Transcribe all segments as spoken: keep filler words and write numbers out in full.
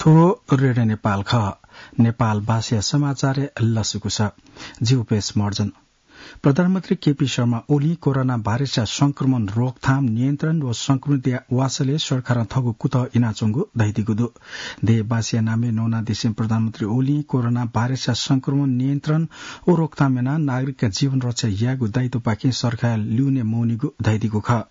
ओ रेडियो नेपाल खः। नेपाल भाषाया समाचार लसुकुस। जिउपेश मर्जन। प्रधानमन्त्री केपी शर्मा ओली कोरोना भाइरसया संक्रमण रोकथाम, नियन्त्रण व संक्रमितया वासलय् सरकारं थःगु कुतः इनाच्वंगु धइदिगु दु। देशवासीया नामय् नवानादिसें प्रधानमन्त्री ओली कोरोना भाइरसया संक्रमण नियन्त्रण व रोकथाम यानाः नागरिकया जीवन रक्षा यायेगु दायित्वपाखें सरकारया ल्यूने मवनीगु धइदिगु खः।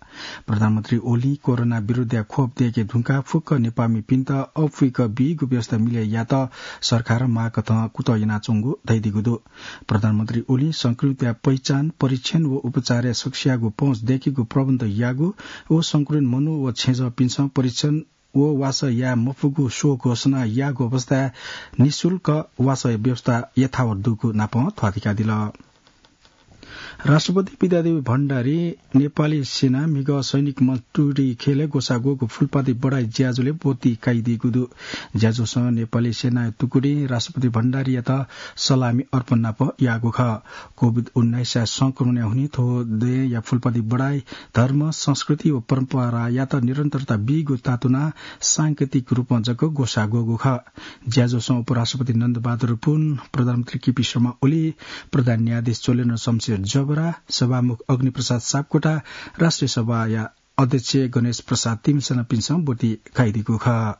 प्रधानमन्त्री ओली कोरोना विरुद्धया खोप दयेके धुंकाः फुक्क नेपाःमिपिन्त अप्वइक बीगु व्यवस्था मिले यायेत सरकारं माःकथं कुतः यानाच्वंगु धइदिगु दु। प्रधानमन्त्री ओलीं संक्रमितया पहिचान, परीक्षण व उपचारया सकसियागु पहुँच दयेकेगु प्रबन्ध याःगु व संक्रमित मनू व छेँजःपिन्सं परीक्षण व वासः याये मफुगु स्व घोषणा याःगु अवस्थाय् निशुल्क वासःया व्यवस्था यथावत दुगु नापं थ्वाथिकादिल। राष्ट्रपति विद्यादेवी भण्डारी नेपाली सेना म्हिगः सैनिक मञ्च टुँडिखेलय् ग्वसाः ग्वःगु फूलपाती बढाइ ज्याझ्वलय् ब्वति काइदीगु दु। ज्याझ्वलय् नेपाली सेनाया टुकडीं राष्ट्रपति भण्डारीयात सलामी अर्पण नाप याःगु खः। कोभिड उन्नाइसया संक्रमणया हुनिं थ्व दँय्‌या फूलपाती बढाइ धर्म, संस्कृति व परम्परायात निरन्तरता बीगु तातुनाः सांकेतिक रूपं जक ग्वसाः ग्वःगु खः। ज्याझ्वलय् उपराष्ट्रपति नन्दबहादुर पुन, प्रधानमन्त्री केपी शर्मा ओली, प्रधान न्यायाधीश चोलेन्द्र शमशेर जबरा, सभामुख अग्निप्रसाद सापकोटा, राष्ट्रिय सभाया अध्यक्ष गणेश प्रसाद तिमिसनापिन्सं ब्वति काइदीगु खः।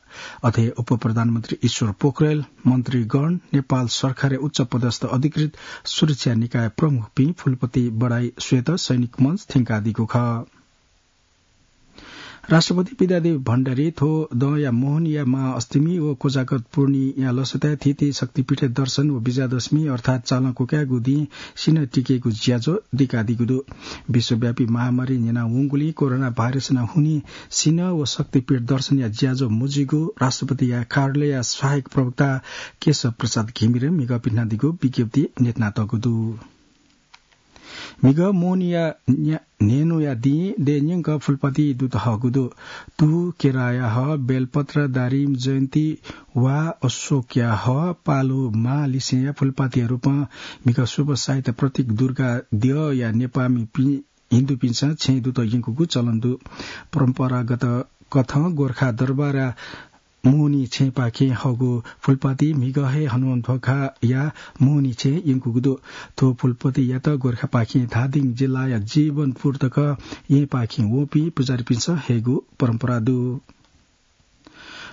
अथे उपप्रधानमन्त्री ईश्वर पोखरेल, मन्त्रीगण, नेपाल सरकारया उच्च पदस्थ अधिकृत, सुरक्षा निकाय प्रमुखपिं फूलपाती बढाइ स्वयेत सैनिक मञ्च थ्यंकादीगु खः। राष्ट्रपति विद्यादेवी भण्डारी थ्व दँया मोहनीया महाअष्टमी व कोजागत पूर्णिया लसताय् थीथी शक्तिपीठय् दर्शन व विजयादशमी अर्थात् चालं क्वकायेगु दिं सिन्हः तिकेगु ज्याझ्वः दिकादीगु दु। विश्वव्यापी महामारी न्यनावंगुलिं कोरोना भाइरसया हुनिं सिन्हः व शक्तिपीठ दर्शनया ज्याझ्वः मजुइगु राष्ट्रपतिया कार्यालयया सहायक प्रवक्ता केशव प्रसाद घिमिरें म्हिगः पिथनादीगु विज्ञप्ति न्ह्यथनातःगु दु। म्हिगः मोहनीया न्या-, न्हय्‌न्हुया दिं देय् न्यंक फूलपाती दुत हःगु दु। तुं, केराया हः, बेलपत्र, दारिम, जयन्ती वा अशोकया हः, पालु, मां लिसेंया फूलपातीया रूपं म्हिगः शुभ साइत प्रतीक दुर्गा द्यःया नेपाःमिपिं हिन्दूपिन्सं छेँय् दुत यंकूगु चलन दु। परम्परागत कथं गोर्खा दरबारया मोहनी छेँपाखें हःगु फूलपाती म्हिगः हे हनुमन्ध्वाखाया मोहनी छेँय् यंकूगु दु। थ्व फूलपातीयात गोर्खापाखें धादिङ जिल्लाया जीवनपुर तक येँपाखें वःपिं पुजारीपिन्सं हयेगु परम्परा दु।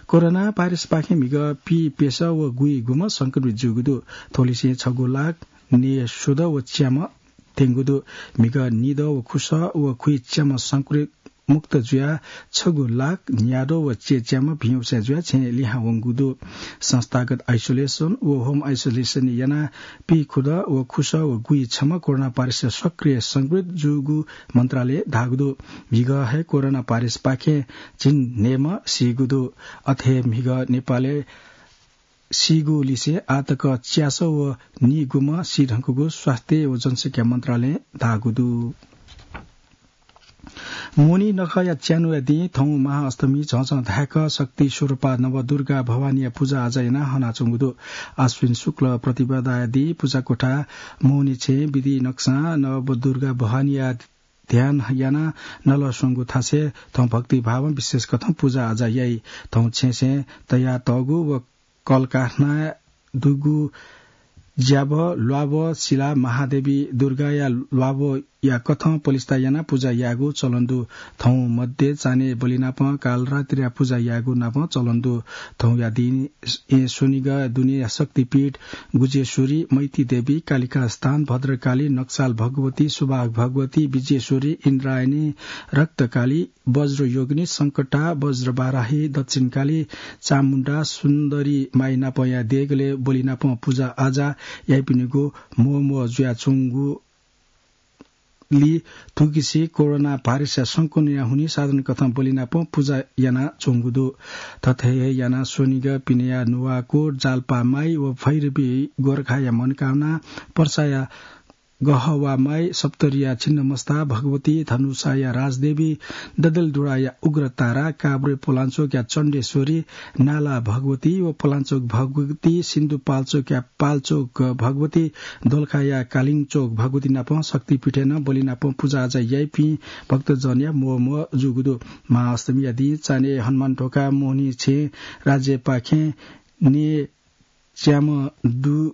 कोरोना भाइरसपाखें म्हिगः पीप्यसः व गुइगुम्ह संक्रमित जूगु दु। थ्वलिसें छगू लाख न्यय्‌स्वदँ व च्याम्ह थ्यंगु दु। म्हिगः निदँ व खुसः व खुइच्याम्ह संक्रमित मुक्त जुयाः छगू लाख न्यादँ व चय्‌च्याम्ह भिंवसः जुयाः छेँय् लिहां वंगु दु। संस्थागत आइसोलेसन व होम आइसोलेसन यानाः पीखुदँ व खुसः व गुइछम्ह कोरोना भाइरसया सक्रिय संक्रमित जूगु मन्त्रालयं धाःगु दु। म्हिगः हे कोरोना भाइरसपाखें झिंन्हय्‌म्ह सीगु दु। अथे हे म्हिगः नेपालय् सीगु लिसें आःतक च्यासः व नीगुम्ह सीधुंकूगु स्वास्थ्य व जनसंख्या मन्त्रालयं धाःगु दु। मोहनी नखःया च्यान्हुया दिं थौं महाअष्टमी झःझः धाय्‌क शक्ति स्वरूपा नवदुर्गा भवानीया पुजाआजा यानाः हनाच्वंगु दु। आश्विन शुक्ल प्रतिपदाया दिं पुजाकोठा मोहनी छेँय् विधि नक्सां नवदुर्गा भवानीया ध्यान यानाः नलस्वंगु थासय् थौं भक्तिभावं विशेष कथं पुजाआजा याइ। थौं छेँसय् तयातःगु व कलकारखानाय् दुगु ज्याभः, ल्वाभः सिलाः महादेवी दुर्गाया ल्वाभःया कथं पलिस्था यानाः पुजा यायेगु चलन दु। थौं मध्ये चान्हय् बलि नापं कालरात्रिया पुजा यायेगु नापं चलन दु। थौंया दिं स्वनिगः दुने शक्तिपीठ गुजेश्वरी, मैतीदेवी, कालिकास्थान, भद्रकाली, नक्साल भगवती, सुभाग भगवती, विजेश्वरी, इन्द्रायणी, रक्तकाली, वज्रयोगिनी, संकटा, वज्रवाराही, दक्षिणकाली, चामुण्डा, सुन्दरी माई नापंया देगलय् बलि नापं पुजाआजा याइपिनिगु म्वःम्वः जुयाच्वंगुली थुकिसि कोरोना भाइरसया संक्रमणया हुनिं साधारण कथं बलि नापं पुजा यानाच्वंगु दु। थथे हे यानाः स्वनिगः पिनेया नुवाकोट, जालपामाई व भैरवी गोरखाया मनकामना, पर्साया गहवामाई, सप्तरीया छिन्नमस्ता भगवती, धनुषाया राजदेवी, ददलधुडाया उग्रतारा, काभ्रे पलाञ्चोकया चण्डेश्वरी, नाला भगवती व पलाञ्चोक भगवती, सिन्धुपाल्चोकया पाल्चोक भगवती, दोलखाया कालिङचोक भगवती नाप शक्तिपीठय् नं बलि नाप पुजाआजा याइपिं भक्तजनया म्वःम्वः जूगु दु। महाअष्टमीया दिं चान्हय् हनुमान ढोका मोहनी छेँ राज्यपाखें ने च्याम्ह दु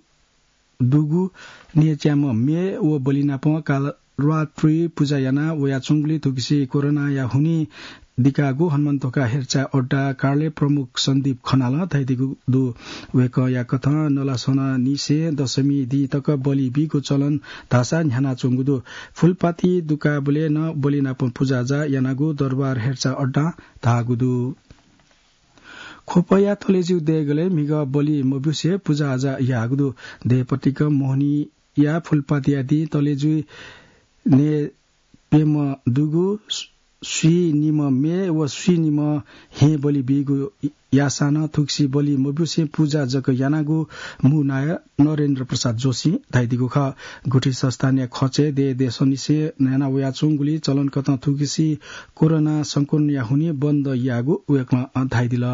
दुगु ने च्याम्ह म्ये व बलि नाप कालरात्रि पुजा याना वयाच्वंगुलिं थुकिसि कोरोनाया हुनिं दिकागु हनुमन्तोका हेरचाह अड्डा कार्यालय प्रमुख सन्दीप खनालं धयादीगु दु। वय्कःया कथं नलास्वनानिसें दशमी दिं तक बलि बीगु चलन धाःसा न्ह्यानाच्वंगु दु। फूलपाती दुकाबलय् नं बलि नाप पुजाआजा यानागु दरबार हेरचाह अड्डां धाःगु दु। ख्वपया तलेजु देगलय् म्हिगः बलि मब्यूसे पुजाआजा याःगु दु। देय्‌पतिक मोहनीया फूलपातिया दिं तलेजुइ ने प्यम्ह दुगु स्वीनिम्ह म्ये व स्वीनिम्ह हेँ बलि बीगु याःसां नं थुकिसि बलि मब्यूसे पुजा जक यानागु मू नायः नरेन्द्र प्रसाद जोशीं धयादीगु खः। गुठी संस्थानया खँचय् देय् देशंनिसें न्ह्याना वयाच्वंगुलिं चलनकथं थुकिसि कोरोना संक्रमणया हुनिं बन्द याःगु वय्कलं धयादिल।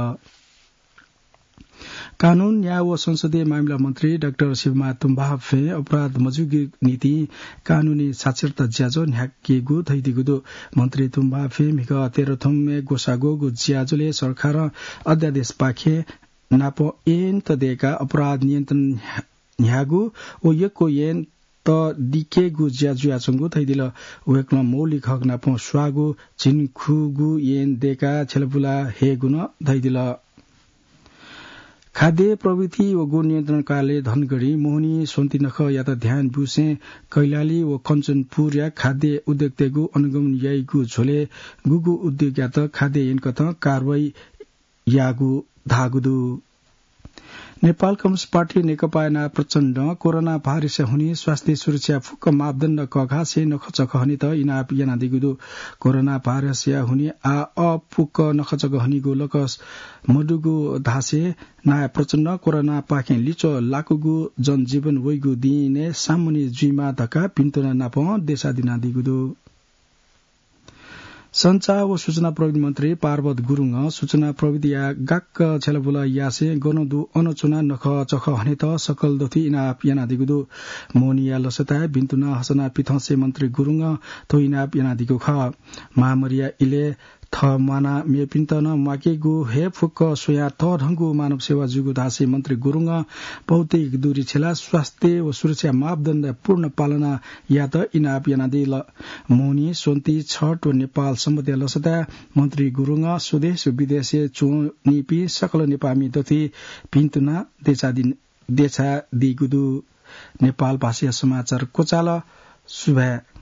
कानून, न्याय व संसदीय मामिला मन्त्री डाक्टर शिवमाया तुम्बाफें अपराध मजुइगु निंतिं कानूनी साक्षरता ज्याझ्वः न्ह्याकेगु धयादीगु दु। मन्त्री तुम्बाफें म्हिगः तेह्र थुम्हय् ग्वसाः ग्वःगु ज्याझ्वलय् सरकारं अध्यादेशपाखें नाप ऐन त दय्काः अपराध नियन्त्रण न्ह्याःगु व यक्व ऐन त दिकेगु ज्या जुयाच्वंगु धयादिल। वय्कलं मौलिक हक नाप स्वाःगु, झिंखुगू ऐन दय्काः छ्यलाबुला हयेगु नं धयादिल। खाद्य प्रविधि व गुणनियन्त्रण कार्यालय धनगढीं मोहनी स्वन्ति नखःयात ध्यान ब्यूसें कैलाली व कञ्चनपुरया खाद्य उद्योगतय्गु अनुगमन याइगु झ्वलय् गुगु उद्योगयात खाद्य ऐनकथं कारवाही याःगु धाःगु दु। नेपाल कम्युनिस्ट पार्टी नेकपाया नायः प्रचण्डं कोरोना भाइरसया हुनिं स्वास्थ्य सुरक्षा फुक्क मापदण्ड कःघासें नखःचखः हनेत इनाप यानादीगु दु। कोरोना भाइरसया हुनिं आः अःपुक नखःचखः हनीगु लकस मदुगु धासें नायः प्रचण्डं कोरोनापाखें लिच्वः लाकूगु जनजीवन वइगु दिनय् सामान्य जुइमाः धकाः भिन्तुना नापं देछादिनादीगु दु। सञ्चार व सूचना प्रविधि मन्त्री पार्वत गुरुङं सूचना प्रविधिया गाक्क छ्यलाबुला यासें गन दु अन च्वनाः नखःचखः हनेत सकल दथुइ इनाप यानादीगु दु। मोहनीया लसताय् भिन्तुना हसना पिथंसे मन्त्री गुरुङं थ्व इनाप यानादीगु खः। महामारीया इलय् थः म्वाना मेपिन्त नं म्वाकेगु हे फुक्क स्वयाः तःधंगु मानव सेवा जूगु धासें मन्त्री गुरुङं भौतिक दूरी छ्यलाः स्वास्थ्य व सुरक्षा मापदण्ड पूर्ण पालना यात इनाप यानादिल। मोहनी, स्वन्ति, छठ व नेपाल सम्बतया लसताय् मन्त्री गुरुङं स्वदेश व विदेशय् च्वनीपिं सकल नेपाःमि दथुइ भिन्तुना देछादि-, देछादीगु दु। नेपाल भाषाया समाचार क्वचाल। सुभाय्।